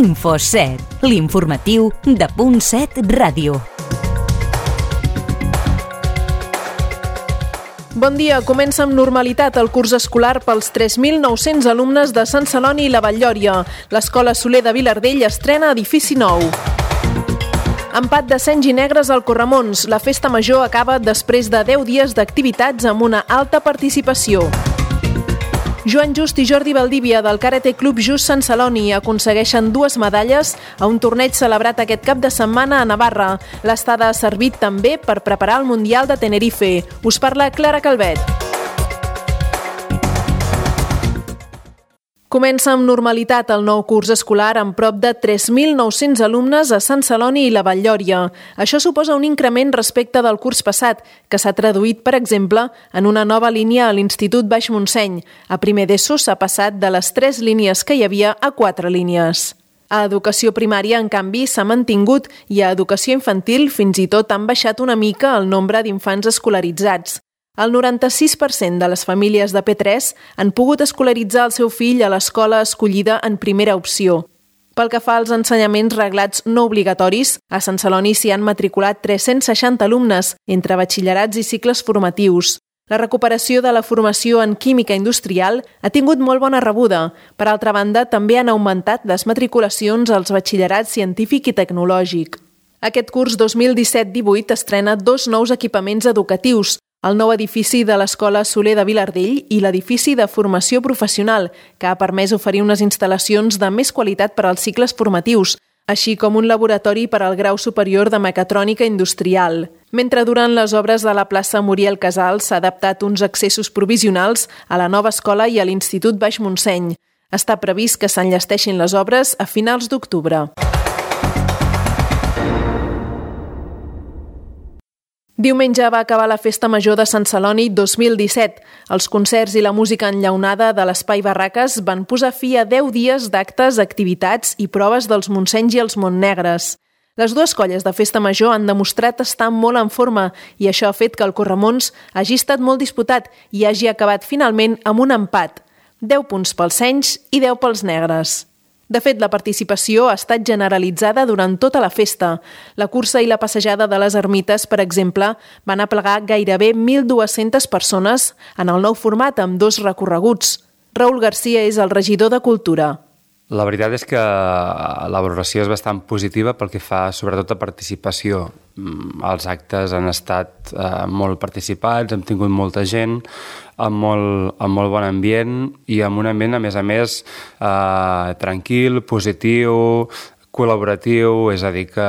Info7, l'informatiu de .7 Ràdio. Bon dia, comença amb normalitat el curs escolar pels 3.900 alumnes de Sant Celoni i la Vall-lloria. L'Escola Soler de Vilardell estrena edifici nou. Empat de Senys i Negres al Corramons. La festa major acaba després de 10 dies d'activitats amb una alta participació. Joan Just i Jordi Valdívia del Karate Club Just Sant Celoni aconsegueixen 2 medalles a un torneig celebrat aquest cap de setmana a Navarra. L'estada ha servit també per preparar el Mundial de Tenerife. Us parla Clara Calvet. Comença amb normalitat el nou curs escolar amb prop de 3.900 alumnes a Sant Celoni i la Vall-lloria. Això suposa un increment respecte del curs passat, que s'ha traduït, per exemple, en una nova línia a l'Institut Baix Montseny. A primer d'ESO s'ha passat de les 3 línies que hi havia a 4 línies. A educació primària, en canvi, s'ha mantingut i a educació infantil fins i tot han baixat una mica el nombre d'infants escolaritzats. El 96% de les famílies de P3 han pogut escolaritzar el seu fill a l'escola escollida en primera opció. Pel que fa als ensenyaments reglats no obligatoris, a Sant Celoni s'hi han matriculat 360 alumnes entre batxillerats i cicles formatius. La recuperació de la formació en química industrial ha tingut molt bona rebuda. Per altra banda, també han augmentat les matriculacions als batxillerats científic i tecnològic. Aquest curs 2017-18 estrena 2 nous equipaments educatius, el nou edifici de l'Escola Soler de Vilardell i l'edifici de formació professional, que ha permès oferir unes instal·lacions de més qualitat per als cicles formatius, així com un laboratori per al grau superior de mecatrònica industrial. Mentre durant les obres de la plaça Muriel Casals s'ha adaptat uns accessos provisionals a la nova escola i a l'Institut Baix Montseny. Està previst que s'enllesteixin les obres a finals d'octubre. Diumenge va acabar la Festa Major de Sant Celoni 2017. Els concerts i la música enllaunada de l'Espai Barraques van posar fi a 10 dies d'actes, activitats i proves dels Montsenys i els Montnegres. Les dues colles de Festa Major han demostrat estar molt en forma i això ha fet que el Corramons hagi estat molt disputat i hagi acabat finalment amb un empat. 10 punts pels Senys i 10 pels Negres. De fet, la participació ha estat generalitzada durant tota la festa. La cursa i la passejada de les ermites, per exemple, van aplegar gairebé 1.200 persones en el nou format amb 2 recorreguts. Raül Garcia és el regidor de Cultura. La veritat és que la valoració és bastant positiva pel que fa sobretot a participació. Els actes han estat molt participats, hem tingut molta gent, amb molt bon ambient i amb un ambient, a més, tranquil, positiu, col·laboratiu, és a dir que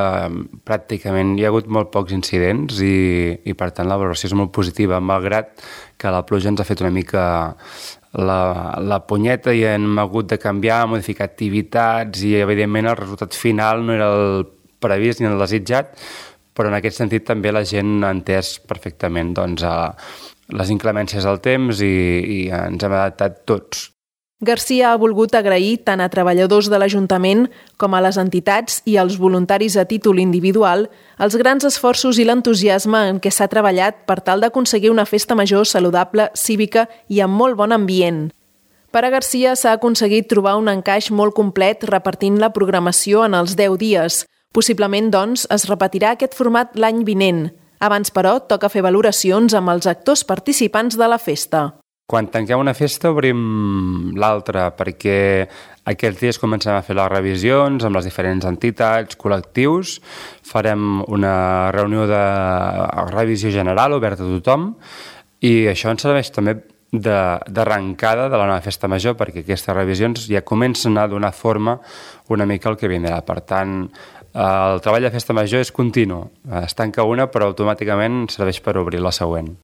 pràcticament hi ha hagut molt pocs incidents i per tant la valoració és molt positiva, malgrat que la pluja ens ha fet una mica la punyeta i hem hagut de canviar, modificar activitats i evidentment el resultat final no era el previst ni el desitjat, però en aquest sentit també la gent ha entès perfectament les inclemències del temps i ens hem adaptat tots. Garcia ha volgut agrair tant a treballadors de l'Ajuntament com a les entitats i als voluntaris a títol individual els grans esforços i l'entusiasme en què s'ha treballat per tal d'aconseguir una festa major saludable, cívica i amb molt bon ambient. Per a Garcia s'ha aconseguit trobar un encaix molt complet repartint la programació en els 10 dies. Possiblement, doncs, es repetirà aquest format l'any vinent. Abans, però, toca fer valoracions amb els actors participants de la festa. Quan tanquem una festa obrim l'altra perquè aquests dies comencem a fer les revisions amb les diferents entitats, col·lectius. Farem una reunió de revisió general oberta a tothom i això ens serveix també d'arrencada de la nova festa major perquè aquestes revisions ja comencen a donar forma una mica al que vindrà. Per tant, el treball de festa major és continu. Es tanca una però automàticament serveix per obrir la següent.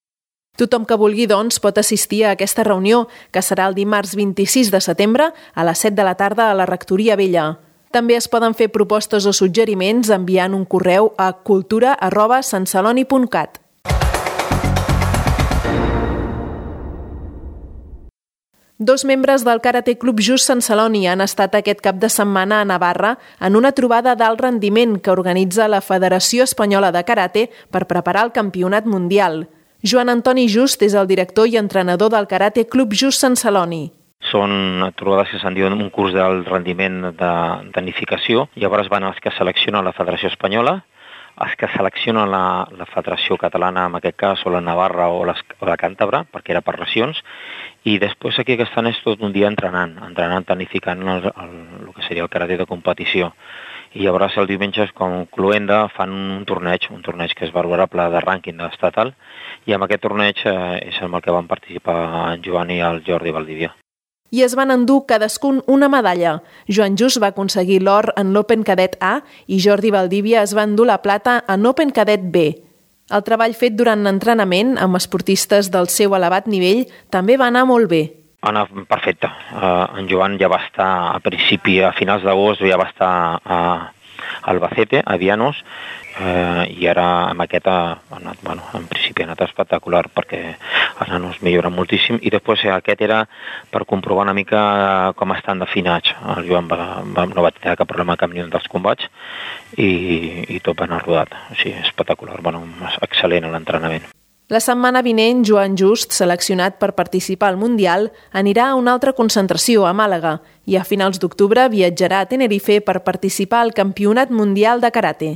Tothom que vulgui, doncs, pot assistir a aquesta reunió, que serà el dimarts 26 de setembre a les 7 de la tarda a la Rectoria Vella. També es poden fer propostes o suggeriments enviant un correu a cultura@santceloni.cat. Dos membres del Karate Club Just Sant Celoni han estat aquest cap de setmana a Navarra en una trobada d'alt rendiment que organitza la Federació Espanyola de Karate per preparar el Campionat Mundial. Joan Antoni Just és el director i entrenador del Karate Club Just Sant Celoni. Són trobades que se'n diuen un curs d'alt rendiment de tecnificació. Llavors van els que selecciona la Federació Espanyola, els que selecciona la Federació Catalana, en aquest cas, o la Navarra o la Càntabra, perquè era per regions, i després aquí que estan és tot un dia entrenant, tecnificant el que seria el karate de competició. I llavors el diumenge, com cluenda, fan un torneig que és valorable de rànquing estatal, i amb aquest torneig és amb el que van participar en Joan i el Jordi Valdivia. I es van endur cadascun una medalla. Joan Just va aconseguir l'or en l'Open Cadet A i Jordi Valdivia es va endur la plata en l'Open Cadet B. El treball fet durant l'entrenament amb esportistes del seu elevat nivell també va anar molt bé. Va anar perfecte. En Joan ja va estar a finals d'agost, ja va estar a Albacete, a Vianos, i ara amb aquest en principi ha anat espectacular perquè els nanos milloren moltíssim, i després aquest era per comprovar una mica com estan definats. El Joan no va tenir cap problema amb cap ni un dels combats i tot va anar rodat. O sigui, espectacular, excel·lent l'entrenament. La setmana vinent, Joan Just, seleccionat per participar al Mundial, anirà a una altra concentració a Màlaga i a finals d'octubre viatjarà a Tenerife per participar al Campionat Mundial de Karate.